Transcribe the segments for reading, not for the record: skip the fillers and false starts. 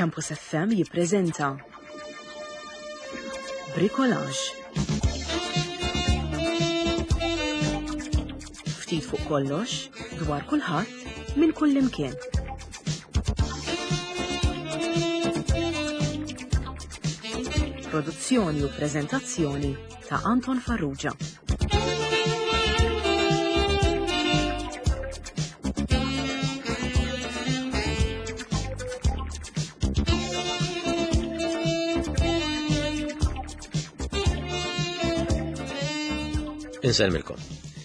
Campus FM jippreżenta Bricolage. Ftit fuq kollox, dwar kulħadd, minn kullimkien. Produzzjoni u preżentazzjoni ta' Anton Farrugia. Insellmilkom.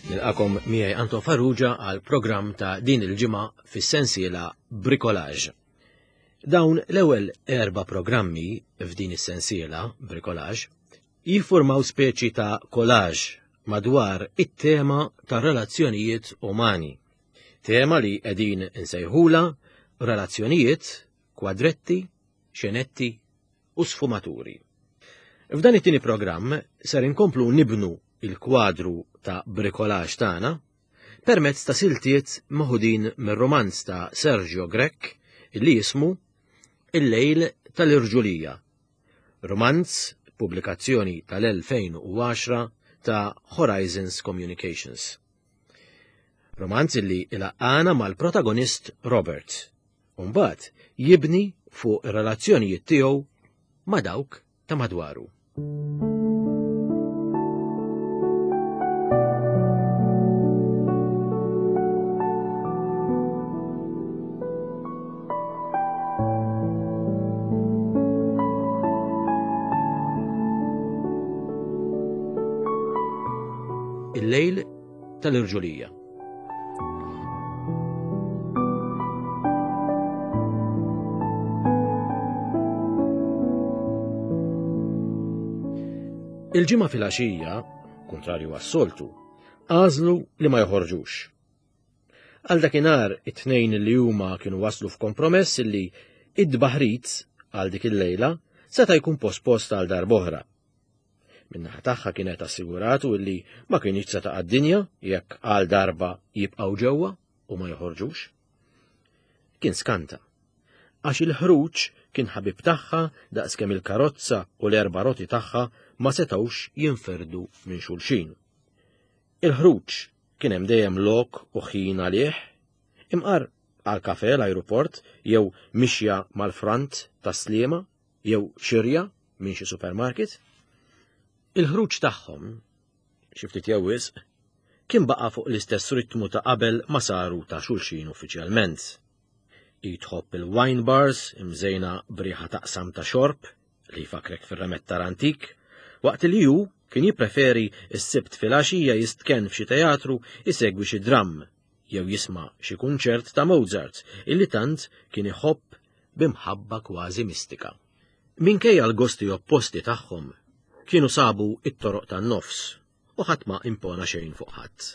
Nilqakom miegħi Anton Farrugia għal programm ta' din il-ġimgħa fis-sensiela Bricolage. Dawn l-ewwel erba' programmi f'din is-sensiela Bricolage jiffurmaw speċi ta' collage madwar it-tema ta' relazzjonijiet umani. Tema li qegħdin insejħula relazzjonijiet, kwadretti, xenetti u sfumaturi. F'dan it-tieni programm ser inkomplu nibnu il-kwadru ta' bricolage tagħna permezz ta' siltiet meħudin mir-romanz ta' Sergio Grech li jismu Il-lejl tal-irġulija Rumanz, pubblikazzjoni tal-2010 ta' Horizons Communications. Romanz li ilaqqana mal-protagonist Robert, u mbagħad jibni fuq ir-relazzjonijiet tiegħu ma' dawk ta' madwaru. Il-lejl tal-irġulija. Il-ġimgħa filgħaxija, kontrarju għas-soltu, għażlu li ma joħorġux. Għal dakinhar it-tnejn li huma kienu waslu f'kompromess li id-baħrit għal dik il-lejla seta' jkun pospost għal darb'oħra. Min-naħa tagħha kienet assiguratu illi ma kienx se taqa' d-dinja jekk għal darba jibqgħu ġewwa u ma joħorġux. Kien skanta. Għax il-ħruġ kien ħabib tagħha daqskemm il-karozza u l-erba' roti tagħha ma setgħux jinferdu minn xulxin. Il-ħruġ kien hemm dejjem lok u ħin għalih, imqar għal kafe l-ajruport jew mixja mal-front tas-Sliema jew xirja minn xi supermarket. Il-ħruġ tagħhom, xi ftit jew wisq, kien baqa' fuq l-istess ritmu ta' qabel ma saru ta' xulxin uffiċjalment. Hi tħobb il-wine bars imżejna b'riħa taqsam ta' xorb li jfakkrek fir-remettar antik, waqt li hu kien jippreferi s-Sibt filgħaxija jistkenn f'xi teatru jsegwi xi dramm jew jisma' xi kunċert ta' Mozart illi tant kien iħobb b'imħabba kważi mistika. Minkejja l-gosti opposti tagħhom, kienu sabu it-toroq tan-nofs u ħadd ma impona xejn fuq ħadd.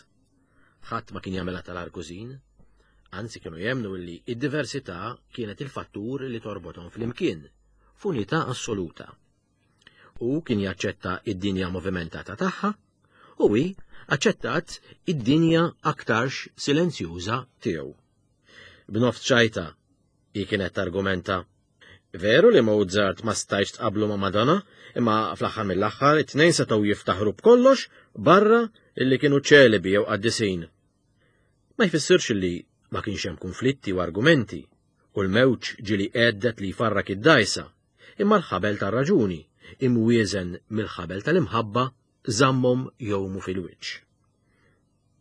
Ħadd ma kien jagħmilha tal-argużin, anzi kienu jemmnu li id-diversità kienet il-fattur li torbothom flimkien, f'unità assoluta. Hu kien jaċċetta id-dinja movimentata tagħha u hi aċċettat id-dinja aktarx silenzjuża tiegħu. B'nofs ċajta, hi kienet targumenta, Veru li Mozart ma stajtx tqablu ma' Madonna, imma fl-aħħar mill-aħħar it-tnejn setgħu jiftaħru b'kollox barra illi kienu ċelebi jew qaddisin. Ma jfissirx li ma kienx hemm kunflitti u argumenti, u l-mewġ ġieli għeddet li jfarrak id-dgħajsa, imma l-ħabel tar-raġuni, imwieżen mill-ħabel tal-imħabba, żammhom jgħumu fil-wiċċ.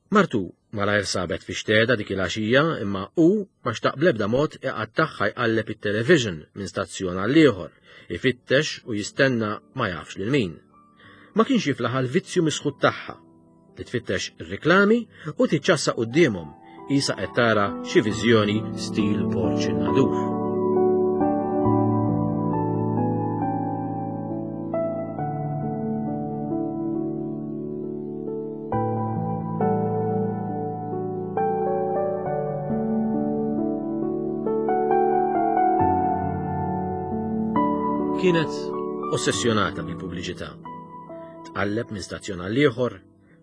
Martu malajr sabet fi xteda dik il-għaxija imma hu ma xtaq bl-ebda mod iqattagħha jqalleb it-television minn stazzjon għal ieħor, ifittex u jistenna ma jafx lil min. Ma kienx jiflaħ għall-vizzju misħut tagħha li tfittex ir-riklami u tiċċassa quddiemhom qisha qed tara xi viżjoni stil Borġ in-Nadur. Kienet ossessjonata bil-pubbliċità. Tqalleb minn stazzjon għal ieħor,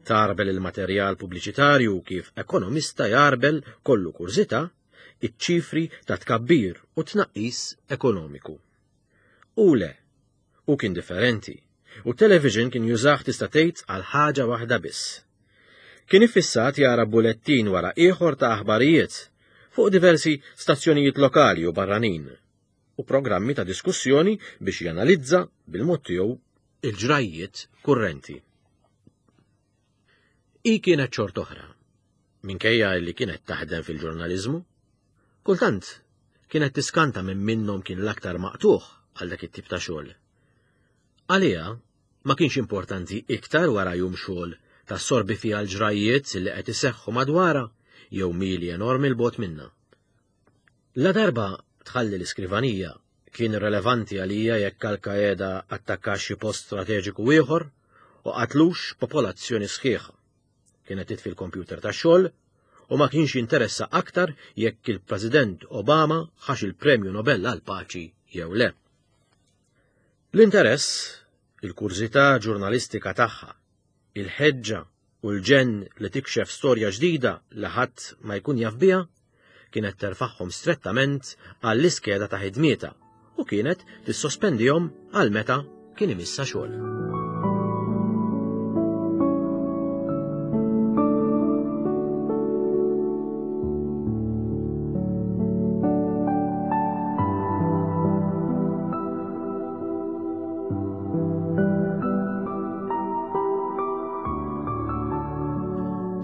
tarbel il-materjal pubbliċitarju kif ekonomista jarbel kollu kurżità. iċ-ċifri ta' tkabbir u tnaqqis ekonomiku. U le, hu kien differenti, u t-television kien jużah tista' tgħid għal ħaġa waħda biss. Kien iffissat jara bulettin wara ieħor ta' aħbarijiet fuq diversi stazzjonijiet lokali u barranin u programmi ta' diskussjoni biex janalizza bil-mod tiegħu il-ġrajjiet kurrenti. Hi kienet xort oħra, minkejja li kienet taħdem fil-ġurnaliżmu. Kultant kienet tiskanta minn minnhom kien l-aktar maqtuħ għal dak it-tip ta' xogħol. Għaliha ma kienx importanti iktar wara jum xogħol tassorbi fiha l-ġrajjiet li qed iseħħu madwarha jew mili enormi 'l bogħod minnha. Ladarba tħalli l-iskrivanija, kien irrelevanti għalija jekk Al-Qaeda attakkax xi post strateġiku ieħor u qatlux popolazzjoni sħiħa. Kienet titfi l-kompjuter tax-xogħol u ma kienx jinteressa aktar jekk il-President Obama ħax il-Premju Nobel għall-Paċi jew le. L-interess, il-kurżità ġurnalistika tagħha, il-ħeġġa u l-ġenn li tikxef storja ġdida li ħadd ma jkun jaf biha, kienet terfagħhom strettament għall-iskeda ta' ħidmietha u kienet tissospendihom għal meta kien imissha xogħol.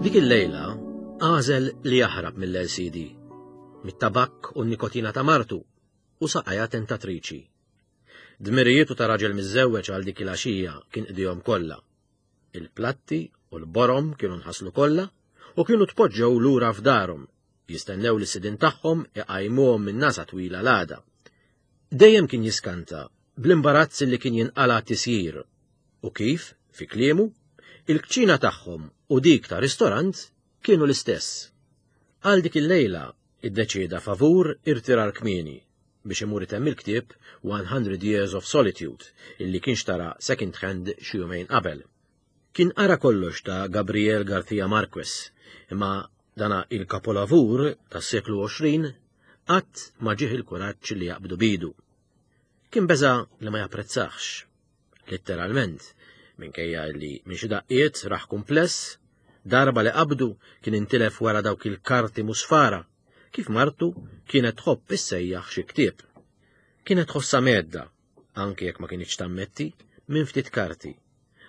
Dik il-lejla għażel li jaħrab mill-LCD, mit-tabakk u n-nikotina ta' martu u saqajha tentatriċi. Dmirijietu ta' raġel miżżewweġ għal dik il-għaxija kien qdihom kollha. Il-platti u l-borom kienu nħaslu kollha u kienu tpoġġew lura f'darhom, jistennew li sidin tagħhom iqajmuhom minn nasa twila l-għada. Dejjem kien jiskanta bl-imbarazz li kien jinqala' tisjir u kif, fi kliemu, il-kċina tagħhom u dik ta' ristorant kienu l-istess. Għal dik il-lejla iddeċieda favur irtirar kmieni biex imur itemm il-ktieb 100 Years of Solitude illi kien xtara second hand xi jumejn qabel. Kien qara kollox ta' Gabriel Garcia Marquez, imma dana il-kapolavur tas-seklu 20 qatt ma ġieħ il-kuraġġ li jaqbdu bidu. Kien beża li ma japprezzax. Litteralment, minkejja li minn xi daqqiet raħ kumpless, darba li qabdu kien intilef wara dawk il-karti musfara, kif martu kienet tħobb issejjaħ xi ktieb. Kienet tħossha medda, anke jekk ma kinitx tammetti, minn ftit karti,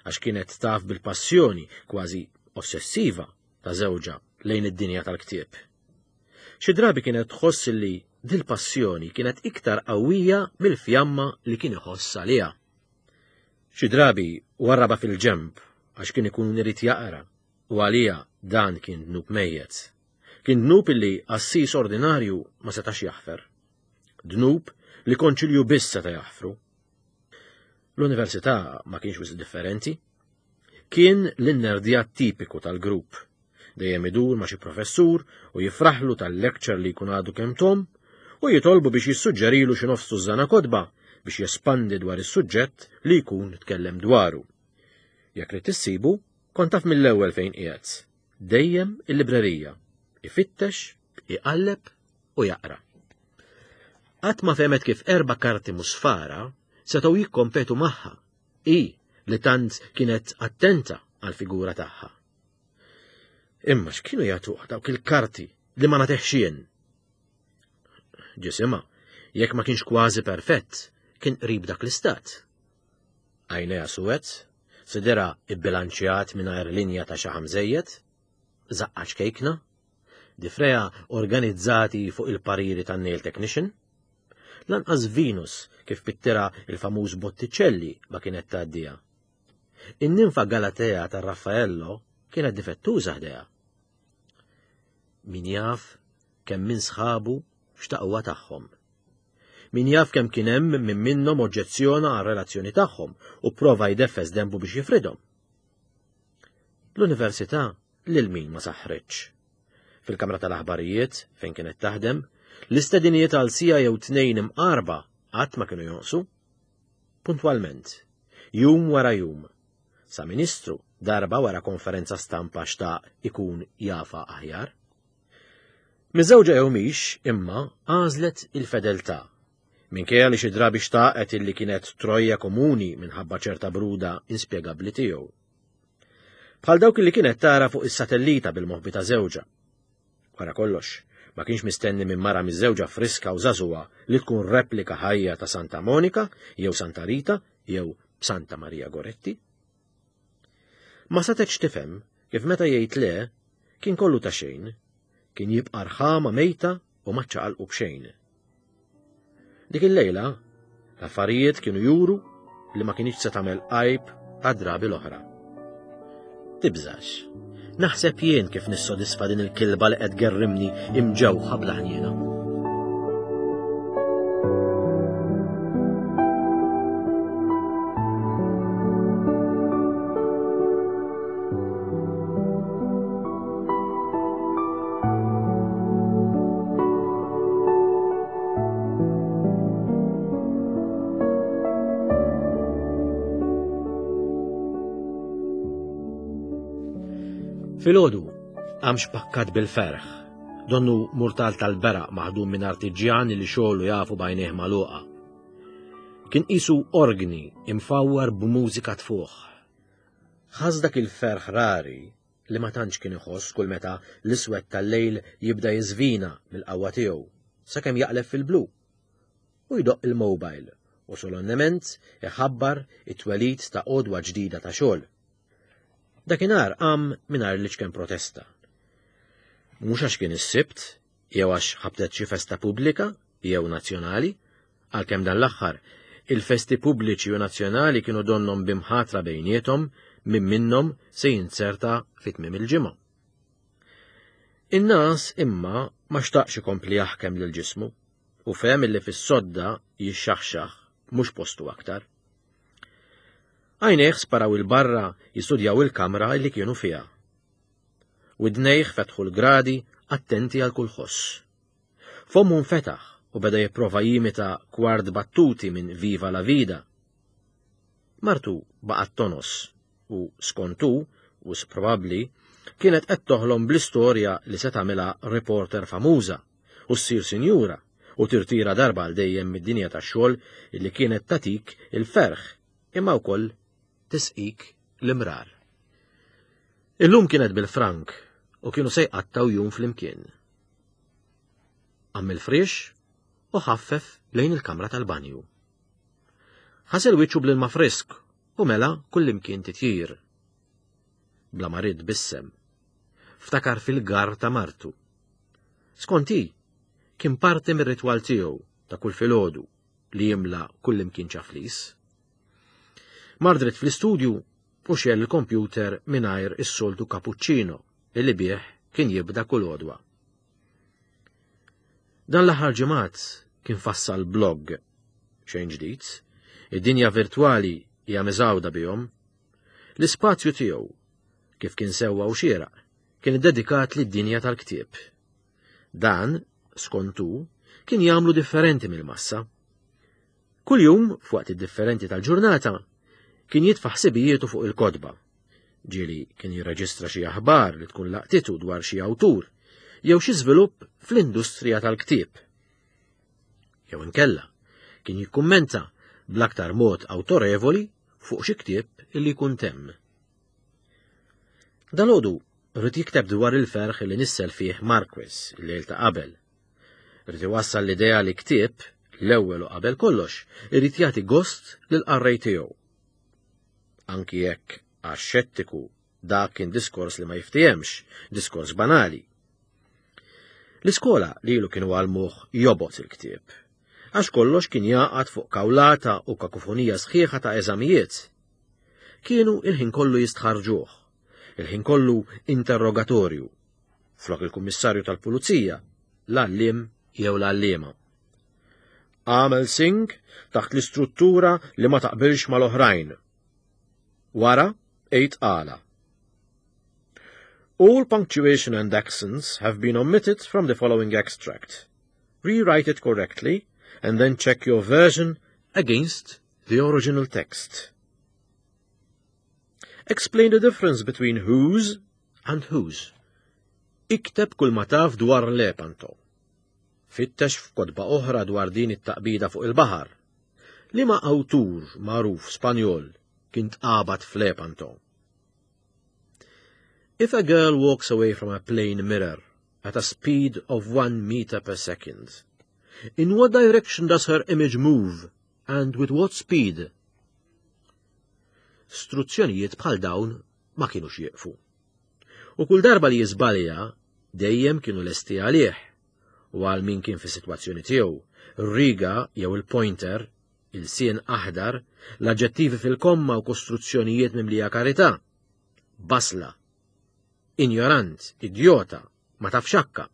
għax kienet taf bil-passjoni kważi ossessiva ta' żewġha lejn id-dinja tal-ktieb. Xi drabi kienet tħoss li dil-passjoni kienet iktar qawwija mill-fjamma li kien iħoss għaliha. Xi drabi warraba fil-ġenb għax kien ikun irid jaqra u għaliha dan kien dnub mejjet. Kien dnub illi qassis ordinarju ma setax jaħfer. Dnub li konċilju biss seta' jaħfru. L-università ma kienx wisq differenti. Kien l-innerdjat tipiku tal-grupp. Dejjem idur ma' xi professur u jifraħlu tal-lecture li jkun għadu kemm tom u jitolbu biex jissuġġerilu xi nofs tużżana kotba biex jespandi dwar is-suġġett li jkun tkellem dwaru. Jekk ridt issibu, kont taf mill-ewwel fejn qiegħed. Dejjem il-librerija. Ifittex, iqalleb u jaqra. Qatt ma fehmet kif erba' karti musfara setgħu jikkompetu magħha, hi li tant kienet attenta għall-figura tagħha. Imma x'kienu jagħtuh dawk il-karti li ma nagħtihx jien? Ġisimha, jekk ma kienx kważi perfett, kien qrib dak l-istat. Għajnejha suwed, sidirha ibbilanċjat mingħajr linja ta' xaħam żejjed, żaqqa ċkejkna, Difreha organizzati fuq il-pariri tan-nail technician. Lanqas Venus kif pittira il-famuż Botticelli ma kienet tgħaddiha. In-ninfa Galatea ta' Raffaello kienet difettuża ħdejha. Min jaf kemm minn sħabu xtaquha tagħhom. Min jaf kemm kien hemm min minnhom oġġezzjona għar-relazzjoni tagħhom u prova jdeffes denbu biex jifridhom. L-università lil min ma saħħritx. Fil-kamra tal-aħbarijiet, fejn kienet taħdem, l-istedinijiet għal sija jew tnejn imqarba qatt ma kienu jonqsu. Puntwalment, jum wara jum, sa ministru darba wara konferenza stampa xtaq ikun jafa aħjar. Miżżewġa jew mhix, imma, għażlet il-fedeltà. Minkejja li xi drabi xtaqet illi kienet trojja komuni minħabba ċerta bruda inspjegabbli tiegħu. Bħal dawk li kienet tara fuq is-satellita bil-moħbi ta' żewġha. Wara kollox, ma kienx mistenni minn mara miżżewġa friska u żagħżugħa li tkun replika ħajja ta' Santa Monika jew Santa Rita jew Santa Maria Goretti. Ma setgħetx tifhem kif meta jgħid le kien kollu ta' xejn, kien jibqa' rħama mejta u ma ċċaqalqu b'xejn. Dik il-lejla, l-affarijiet kienu juru li ma kienx se tagħmel għajb għad-drabi l-oħra. Tibżax. Naħseb jien kif nissodisfa din il-kilba li qed gerrimni imġewħa bla ħniena. Filgħodu qam xpakkat bil-ferħ, donnu murtal tal-beraq maħdum minn artiġjan li xogħlu jafu b'għajnejh magħluqa. Kien qisu orgni imfawwar b'mużika tfuħ. Ħass dak il-ferħ rari li ma tantx kien iħoss kull meta l-iswed tal-lejl jibda jiżvina mill-qawwa tiegħu sakemm jaqleb fil-blu. U jdoqq il-mobile u solennement iħabbar it-twelid ta' għodwa ġdida ta' xogħol. Dakinhar qam mingħajr l-iċken protesta. Mhux għax kien is-Sibt, jew għax ħabtet xi festa pubblika jew nazzjonali, għalkemm dan l-aħħar il-festi pubbliċi u nazzjonali kienu donnhom b'imħatra bejniethom min minnhom se jinzerta fi tmiem il-ġimgħa. In-nas imma ma xtaqx ikompli jaħkem lil ġismu u fehem illi fis-sodda jixxaħxaħ mhux postu aktar. Għajnejh sparaw 'il barra jistudjaw il-kamra li kienu fiha. Widnejh fetħu l-gradi attenti għal kull ħoss. Fommu nfetaħ u beda jipprova jimita kwart battuti minn Viva la Vida. Martu baqgħet tonos u skont hu, wisq probabbli, kienet qed toħlom bl-istorja li se tagħmilha reporter famuża u ssir sinjura u tirtira darba għal dejjem mid-dinja tax-xogħol li kienet tagħtik il-ferħ imma wkoll tisqik l-imrar. Illum kienet bil-frank u kienu se jqattgħu jum flimkien. Qam mill-friex u ħaffef lejn il-kamra tal-banju. Ħasel wiċċu bl-ilma frisk u mela kullimkien titjir. Bla ma ried bissem. Ftakar fil-gar ta' martu. Skont hi, kien parti mir-ritwal tiegħu ta' kull filgħodu li jimla kullimkien ċaflis. Mar dritt fl-istudju u xegħel il-kompjuter mingħajr is-soltu cappuccino li bih kien jibda kull għodwa. Dan l-aħħar ġimgħat kien fassal blog xejn ġdid, id-dinja virtwali hija miżgħuda bihom. L-ispazju tiegħu, kif kien sewwa u xieraq, kien iddedikat lid-dinja tal-ktieb. Dan, skont hu, kien jagħmlu differenti mill-massa. Kuljum, f'waqt differenti tal-ġurnata, kien jitfa' ħsibijietu fuq il-kotba. Ġieli kien jirreġistra xi aħbar li tkun laqtitu dwar xi awtur jew xi żvilupp fl-industrija tal-ktieb. Jew inkella, kien jikkummenta bl-aktar mod awtorevoli fuq xi ktieb illi jkun temm. Dalgħodu ried jikteb dwar il-ferħ li nissel fih Marquez il-lejl ta' qabel. Ried iwassal l-idea li ktieb, l-ewwel u qabel kollox, irid jagħti gost lill-qarrej tiegħu. Anki jekk għax-xettiku dak kien diskors li ma jiftihemx, diskors banali. L-iskola lilu kienu għallmuh jobgħod il-ktieb, għax kollox kien jagħqad fuq kawlata u kakofonija sħiħa ta' eżamijiet. Kienu il-ħin kollu jistħarrġuh, il-ħin kollu interrogatorju, flok il-kummissarju tal-pulizija, l-għalliem jew l-għalliema. Għamel sing taħt l-istruttura li ma taqbilx mal-oħrajn. Wara, għid għala. All punctuation and accents have been omitted from the following extract. Rewrite it correctly and then check your version against the original text. Explain the difference between whose and whose. Ikteb kull ma taf dwar Lepanto. Fittex f'kotba oħra dwar din it-taqbida fuq il-baħar. Liema awtur magħruf Spanjol kien tqabad f'Lepanto? If a girl walks away from a plane mirror at a speed of 1 meter per second, in what direction does her image move and with what speed? Struzzjonijiet bħal dawn ma kienux jieqfu. U kull darba li jiżbalja, dejjem kienu lesti għalih u għal min kien fis-sitwazzjoni tiegħu, riga jew il-pointer, il-sien aħdar, l-aġġettivi fil-komma u kostruzzjonijiet mimlija karità. Basla. Injorant, idjota, ma tafx xakka.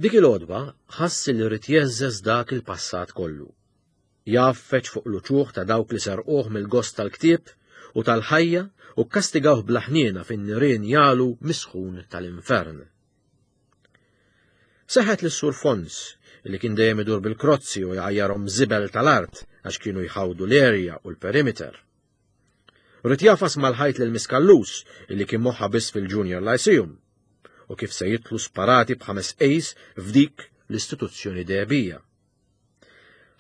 Dik il-għodwa ħass li rrid jeżżeż dak il-passat kollu. Jgħaffeġ fuq l-uċuħ ta' dawk li serquh mill-gost tal-ktieb u tal-ħajja u kkastigawh bla ħniena fin-nirien jagħlu misħun tal-infern. Seħet lis-Sur Fons, li kien dejjem idur bil-krozzi u jgħajjarhom żibel tal-art għax kienu jħawdu l-erja u l-perimeter. Ried jagħfas mal-ħajt lil Miss Callus, li kien moħħha biss fil-Junior Lyceum, u kif se jidħlu sparati b'ħames A's f'dik l-istituzzjoni dehebija.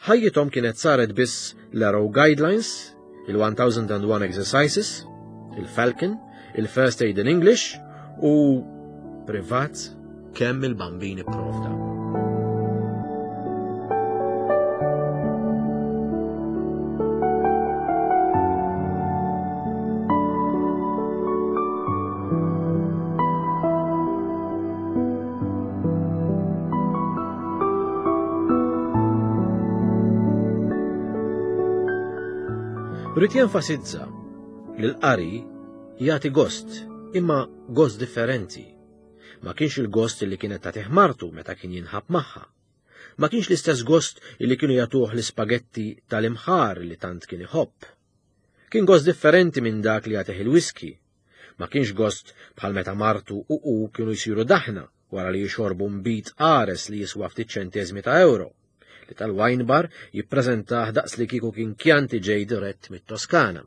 Ħajjithom kienet saret biss l-Arrow Guidelines, il-1001 Exercises, il-Falcon, il-First Aid in English u privat kemm il-bambin ipprovda. Rrid jenfasizza li l-qari jagħti gost, imma gost differenti. Ma kienx il-gost li kienet tagħtih martu meta kien jinħab magħha. Ma kienx l-istess gost li kienu jagħtuh l-ispagetti tal-imħar li tant kien iħobb. Kien gost differenti minn dak li jagħtih il-whisky. Ma kienx gost bħal meta martu u hu kienu jsiru daħna wara li jixorbu nbid qares li jiswa ftit ċenteżmi ta' euro, li tal-wine bar jippreżentah daqs li kieku kien Chianti ġej dirett mit-Toskana.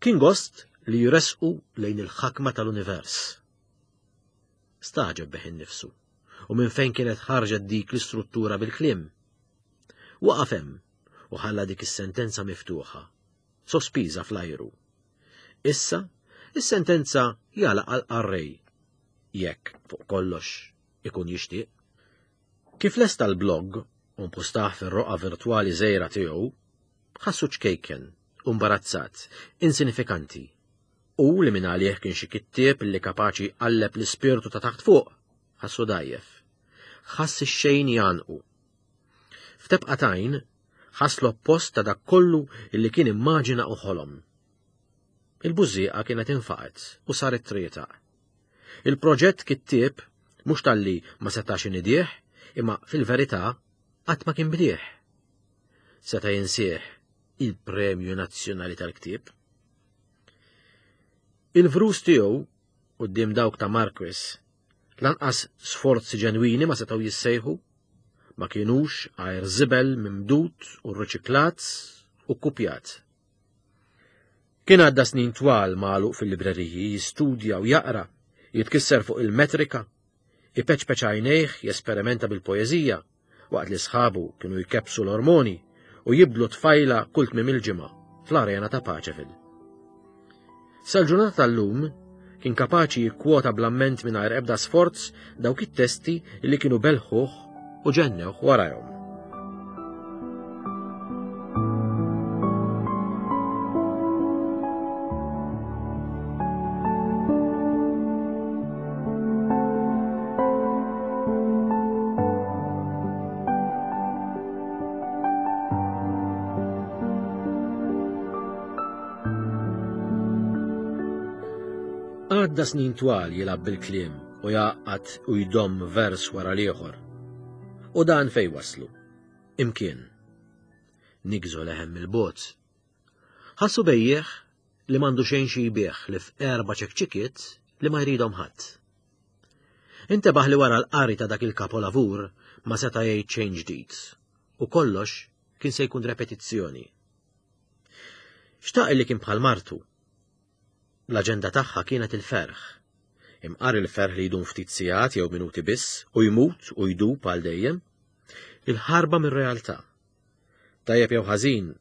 Kien gost li jressqu lejn il-ħakma tal-univers. Stagħġeb bih innifsu u minn fejn kienet ħarġet dik l-istruttura bil-kliem. Waqaf hemm u ħalla dik is-sentenza miftuħa, sospiża fl-ajru. Issa, is-sentenza jagħlaq għall-qarrej, jekk, fuq kollox, ikun jixtieq. Kif lesta l-blog u mpustah fir-roqgħa virtwali żgħira tiegħu, ħassu ċkejken u mbarazzat, insinifikanti. U li minn għalih kien xi kittieb li kapaċi jqalleb l-ispirtu ta' taħt fuq, ħassu dgħajjef. Ħass ix-xejn jgħannqu. F'tebqa t'għajn, ħass l-oppost ta' dak kollu li kien immaġina u ħolom. Il-bużżieqa kienet infaqgħet u saret trietaq. Il-proġett kittieb mhux talli ma setax inidih, imma fil-verità qatt ma kien bdieh. Seta' jinsih il-Premju Nazzjonali tal-Ktieb. Il-vrus tiegħu quddiem dawk ta' Marquis lanqas sforzi ġenwini ma setgħu jissejħu, ma kinux għajr żibel mimdud u rriċiklat u kkupjat. Kien għadda snin twal magħluq fil-libreriji jistudja u jaqra, jitkisser fuq il-metrika, ipeċpeċ għajnejh jesperimenta bil-poeżija, waqt li sħabu kienu jkebbsu l-ormoni u jibdlu tfajla kull tmiem il-ġimgħa fl-arena ta' Paċeville. Sal-ġurnata tal-lum kien kapaċi jikkwota bl-amment mingħajr ebda sforz dawk it-testi li kienu belħuh u ġennewh warajhom. Għadda snin twal jilgħab bil-kliem u jgħaqqad u jdomm vers wara l-ieħor. U dan fej waslu? Imkien. Nigżu leħen mill-bogħod. Ħassu bejjiegħ li m'għandu xejn xi jbigħ li f'erba' ċekċikiet li ma jridhom ħadd. Intebaħ li wara l-qari ta' dak il-kapolavur ma seta' jgħid xejn ġdid u kollox kien se jkun repetizzjoni. Xtaq li kien bħal martu. L-aġenda tagħha kienet il-ferħ. Imqar il-ferħ li jdum ftit sigħat jew minuti biss u jmut u jdub għal dejjem. Il-ħarba mir-realtà. Tajjeb jew ħażin,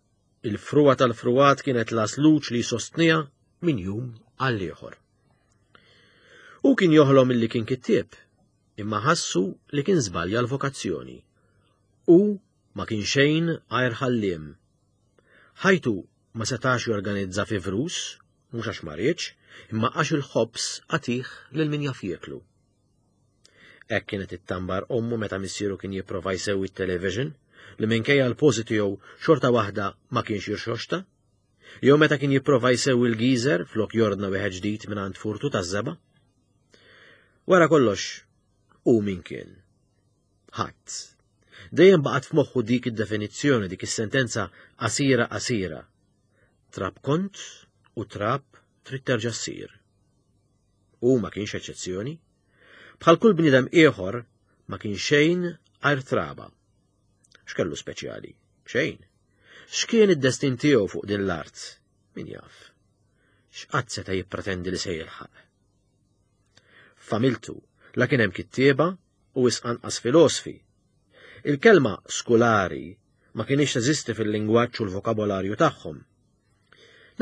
il-frugħa tal-frugħat kienet l-għasluġ li jsostniha minn jum għal ieħor. Hu kien joħlom illi kien kittieb, imma ħassu li kien żbalja l-vokazzjoni. Hu ma kien xejn għajr ħalliem. Ħajtu ma setax jorganizza fi vrus, mhux għax ma riedx, imma għax il-ħobż għatih lil min jaf jieklu. Hekk kienet ittambar ommu meta missieru kien jipprova jsewwi t-television, li minkejja l-pożi tiegħu xorta waħda ma kienx jirxoxta, jew meta kien jipprova jsewwi l-geezer flok jordna wieħed ġdid mingħand furtu taż-żebgħa. Wara kollox, hu min kien? Ħadd. Dejjem baqgħet f'moħħu dik id-definizzjoni, dik is-sentenza qasira qasira. Trab kont u trab trid terġa' ssir. Hu ma kienx eċċezzjoni. Bħal kull bniedem ieħor ma kien xejn għajr traba. X'kellu speċjali? Xejn. X'kien id-destin tiegħu fuq din l-art? Min jaf. X'qatt seta' jippretendi li se jilħaq? F'familtu la kien hemm kittieba u wisq anqas filosfi. Il-kelma skulari ma kienx teżisti fil-lingwaġġ u l-vokabolarju tagħhom.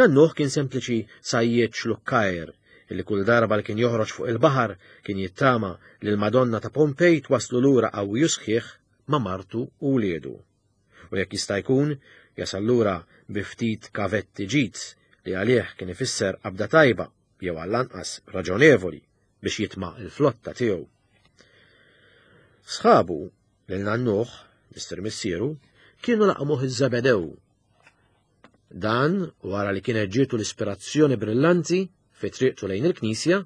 Nannuh kien sempliċi sajjied xlukkajr li kull darba li kien joħroġ fuq il-baħar kien jittama li l-Madonna ta' Pompej twaslu lura qawwi u sħiħ ma' martu u wliedu. U jekk jista' jkun, jasal lura bi ftit kavetti ġid li għalih kien ifisser qabda tajba jew għall-anqas raġonevoli biex jitma' l-flotta tiegħu. Sħabu, lil nannuh, Mister Missieru, kienu laqmuh iż-Żebedew. Dan wara li kienet ġietu l-ispirazzjoni brillanti fi triqtu lejn il-knisja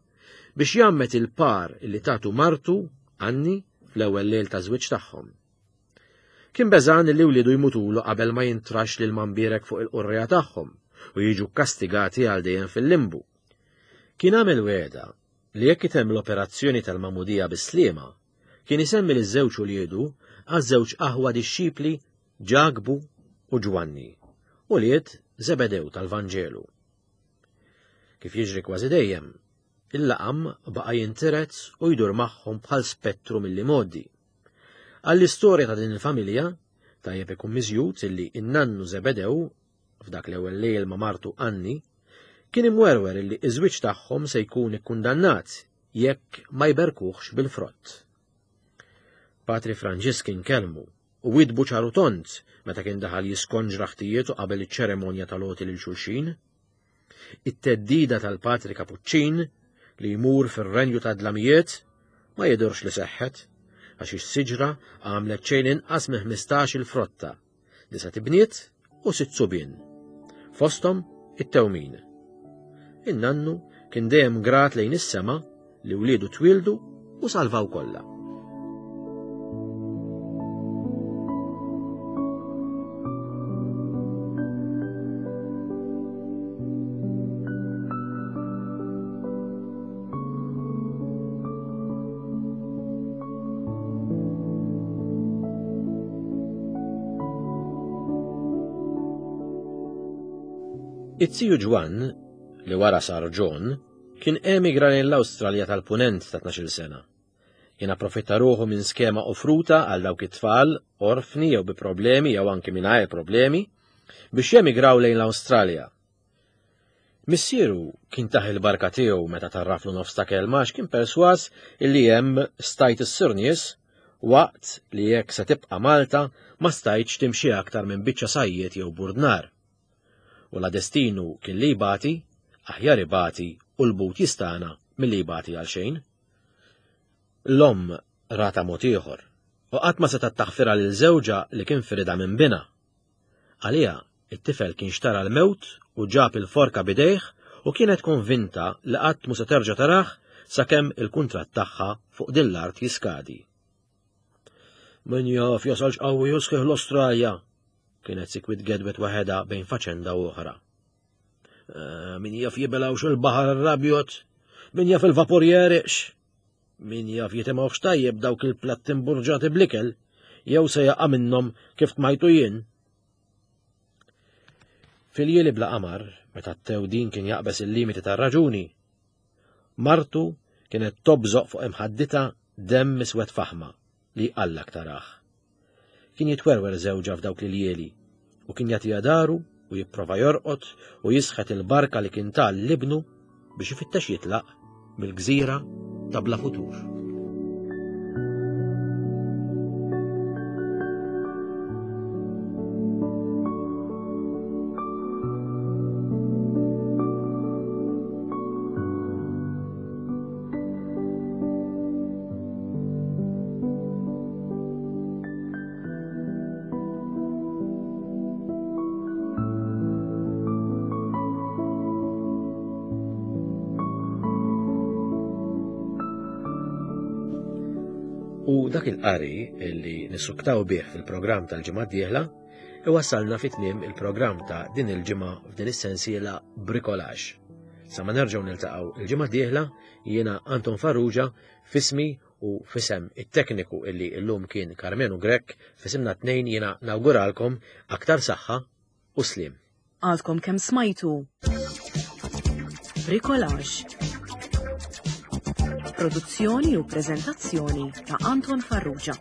biex jgħammed il-par li tatu martu, Anni, fl-ewwel lejl ta' żwieġ tagħhom. Kien beżgħan li wliedu jmutulu qabel ma jintrax lil Mambierek fuq il-qurriegħa tagħhom u jiġu kkastigati għal dejjem fil-limbu. Kien għamel wegħda li jekk itemm l-operazzjoni tal-magħmudija bis-sliema, kien isemmi liż-żewġ uliedu għaż-żewġ aħwa dixxipli Ġakbu u Ġwanni, ulied Żebedew tal-Vanġelu. Kif jiġri kważi dejjem, il-laqam baqa' jintiret u jdur magħhom bħal spettru mill-imgħoddi. Għall-istorja ta' din il-familja, tajjeb ikun miżjud illi n-nannu Żebedew, f'dak l-ewwel lejl ma' martu Anni, kien imwerwer illi ż-żwieġ tagħhom se jkun ikkundannat jekk ma jberkuhx bil-frott. Patri Franġisk kien kellmu u widbu ċar u tond meta kien daħal jiskonġra ħtijietu qabel iċ-ċeremonja tal-għoti lil xulxin. It-theddida tal-Patri Kapuċċin li jmur fir-renju tad-dlamijiet ma jidhirx li seħħet għax is-siġra għamlet xejn inqas minn 15 il-frotta, disa' tibniet u sitt subien. Fosthom it-tewmin. In-nannu kien dejjem grat lejn is-sema li wliedu twieldu u salvaw kollha. It-tiju Ġwann, li wara sar John, Kien emigra lejn l-Awstralja tal-Punent ta' 12-il sena. Kien approfitta ruħu minn skema offruta għal dawk it-tfal, orfni jew bi problemi jew anki mingħajr problemi, biex jemigraw lejn l-Awstralja. Missieru kien tah il-barka tiegħu meta tarraflu nofs ta' kelma għax kien persważ illi hemm stajt issir nies waqt li jekk se tibqa' Malta ma stajtx timxi aktar minn biċċa sajjied jew burdnar. U la destinu kien li jbati, aħjar ibati u l-but jistana milli jbati għal xejn. L-omm ratha mod ieħor u qatt ma setgħet taħfirha lil żewġha li kien firidha minn binha. Għaliha, it-tifel kien xtara l-mewt u ġab il-forka b'idejh u kienet konvinta li qatt mhu se terġa' tarah sakemm il-kuntratt tagħha fuq din l-art jiskadi. Min jaf jasalx qawwi u sħiħ l-Ostralja, kienet sikwit gedwet waħedha bejn faċenda u oħra. Eh, min jaf jibelawx il-baħar arrabjot, min jaf il-vapur jeriqx, min jaf jitimgħux tajjeb dawk il-platti mburġati blikel, jew se jaqa' minnhom kif tmajtu jien. Fil-jieli bla qamar, meta t-tewdin kien jaqbeż il-limiti tar-raġuni, martu Kienet tobżoq fuq imħadditha demm iswed faħma li jqallak tarah. Kien jitwerwer żewġha f'dawk l-iljieli u kien jagħtiha daru u jipprova jorqod u jisħet il-barka li kien ta lil ibnu biex ifittex jitlaq mill-gżira ta' bla futur. U dak il-qari li nissuktaw bih fil-programm tal-ġimgħa d-dieħla iwassalna fi tmiem il-programm ta' din il-ġimgħa f'din is-sensiela Bricolage. Sa ma nerġgħu niltaqgħu il-ġimgħa d-dieħla jiena Anton Farrugia fismi u fisem it-tekniku illi llum kien Karmenu Grech, fisimna tnejn jiena nawguralkom aktar saħħa u sliem. Għadkom kemm smajtu Bricolage. Produzzjoni u preżentazzjoni ta' Anton Farrugia.